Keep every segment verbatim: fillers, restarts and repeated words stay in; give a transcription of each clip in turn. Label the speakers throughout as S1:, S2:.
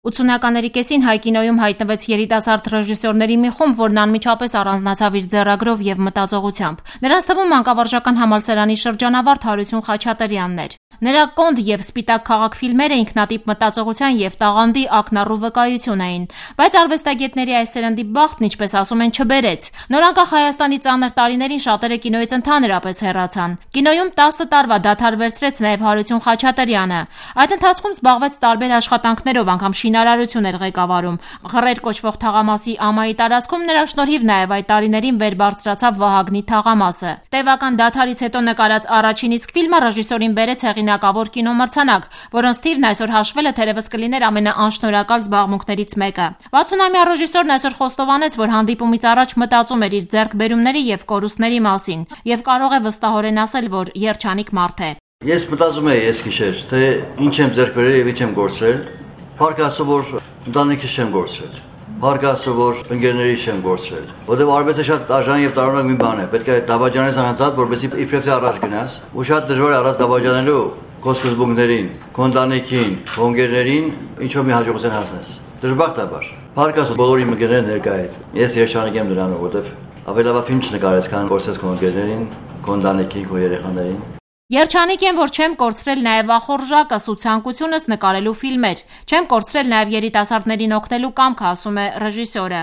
S1: ութսունականների կեսին հայ կինոյում հայտնվեց երիտասարդ ռեժիսորների մի խումբ, որն անմիջապես առանձնացավ իր ձեռագրով եւ մտածողությամբ։ Նրանց թվում մանկավարժական համալսարանի շրջանավարտ Հարություն Խաչատրյանն էր։ Նրա «Կոնդ» եւ «Սպիտակ քաղաք» ֆիլմերը ինքնատիպ մտածողության եւ տաղանդի ակնառու վկայություն էին, բայց արվեստագետների այս սերնդի բախտն, ինչպես ասում են, չբերեց։ Նորանկախ Հայաստանի ծանր տարիներին շատերը կինոյից ընդհանրապես հեռացան։ Կինոյում տասը տարվա դադար վերցրեց նաեւ Հարություն Խաչատրյանը։ Այդ ընթացքում զբաղվեց տարբեր աշխատանքներով, անգամ շինարարություն էր ղեկավարում։ Ղռեր կոչվող թաղամասի ամայի տարածքում նրա շնորհիվ նաեւ այդ տարիներին վեր բարձրացավ Վահագնի թաղամասը։ Տևական դադարից հետո նկարած առաջին իսկ ֆիլմը ռեժիսորին բերեց հեղինակավոր կինոմրցանակ, որոնց թիվն այսօր հաշվելը թերևս կլիներ ամենաանշնորհակալ զբաղմունքներից մեկը։ վաթսունամյա ռեժիսորն այսօր խոստովանեց, որ հանդիպումից առաջ մտածում էր իր ձեռքբերումների եւ կորուստների մասին եւ կարող է վստահորեն ասել, որ երջանիկ մարդ է։
S2: Ես մտածում եի այս գիշեր, թե ինչ եմ ձեռք բերել եւ ինչ եմ գործել։ Փառք Աստծո, որ ընտանիքիս չեմ գործել։ Փառք Աստծո, որ ընկերներից չեմ գործել։ Որտեղ արվեստը շատ դաժան եւ տարօրինակ մի բան է։ Պետք է դավաճանես անընդհատ, որպեսզի իբրև թե առաջ գնաս։ Ու շատ դժվար է առանց դավաճանելու քո սկզբունքներին, քո ընտանիքին, քո ընկերներին ինչ-որ մի հաջողության հասնես։ Դժբախտաբար։ Փառք Աստծո, բոլորի ընկերները ներկա են։ Ես երջանիկ եմ նրանով, որտեղ ավելի լավ ֆիլմ չնկարես, քան գործես քո ընկերներին, քո ընտանիքին, քո երեխաներին։
S1: Երջանիկ եմ, որ չեմ կորցրել նաև ախորժակս ու ցանկությունս նկարելու ֆիլմեր։ Չեմ կորցրել նաև երիտասարդներին օգնելու կամքը, ասում է ռեժիսորը։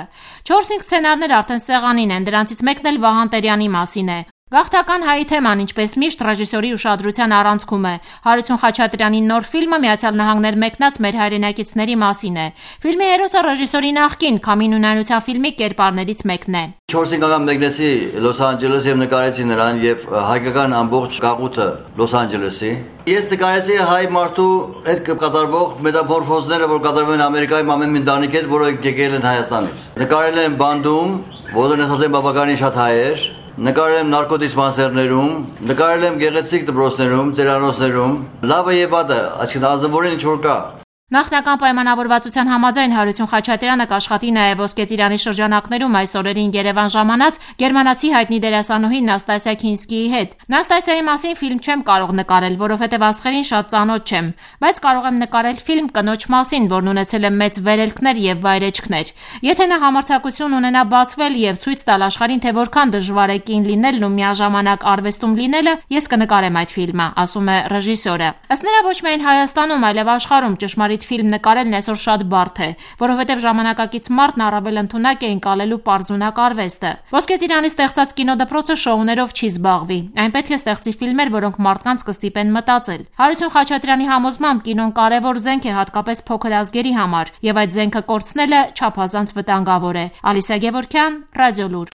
S1: չորս-հինգ սցենարներ արդեն սեղանին են, դրանցից մեկն էլ Վահան Տերյանի մասին է։ Գաղթական հայի թեման, ինչպես միշտ, ռեժիսորի ուշադրության առանցքում է։ Հարություն Խաչատրյանի նոր ֆիլմը Միացյալ Նահանգներ մեկնած մեր հայրենակիցների մասին է։ Ֆիլմի հերոսը ռեժիսորի նախկին Քամին ունայնության ֆիլմի կերպարներից մեկն է։
S2: չորս-հինգ անգամ մեկնեցի Լոս Անջելես եւ նկարեցի նրան եւ հայկական ամբողջ գաղութը Լոս Անջելեսի։ Ես նկարեցի հայ մարդու հետ կատարվող մետամորֆոզները, որ կատարվում են Ամերիկայում ամեն մի ընտանիքի հետ, որը եկել են Հայաստանից։ Նկարել եմ բանդում, որը նշած են բավականին շատ հայեր։ Նկարել եմ նարկոդիսպանսերներում, նկարել եմ գեղեցիկ դպրոցներում, ծերանոցներում, լավը եւ վատը, այսինքն ազնվորեն ինչ որ կա։
S1: Նախնական պայմանավորվածության համաձայն Հարություն Խաչատրյանը կաշխատի նաև Ոսկե ծիրանի շրջանակներում այս օրերին Երևան ժամանած գերմանացի հայտնի դերասանուհի Նաստասիա Քինսկիի հետ։ Նաստասիայի մասին ֆիլմ չեմ կարող նկարել, որովհետև աստղերին շատ ծանոթ չեմ, բայց կարող եմ նկարել ֆիլմ կնոջ մասին, որն ունեցել է մեծ վերելքներ եւ վայրեջքներ։ Եթե նա համարձակություն ունենա բացվել եւ ցույց տալ աշխարհին, թե որքան դժվար է կին լինելն ու միաժամանակ արվեստում լինելը, ես կնկարեմ այդ ֆիլմը, ասում է ռեժիսորը։ Ըստ նրա, ոչ միայն Հայաստանում, այլև աշխարհում ճշմարիտ ֆիլմ նկարելն այսօր շատ բարդ է, որովհետև ժամանակակից մարդն առավել ընդունակ է ընկալելու պարզունակ արվեստը։ Ոսկե ծիրանի ստեղծած կինոդպրոցը շոուներով չի զբաղվի, այն պետք է ստեղծի ֆիլմեր, որոնք մարդկանց կստիպեն մտածել։ Հարություն Խաչատրյանի համոզմամբ կինոն կարևոր զենք է հատկապես փոքր ազգերի համար, եւ այդ զենքը կորցնելը չափազանց վտանգավոր է։ Ալիսա Գևորգյան, Ռադիոլուր։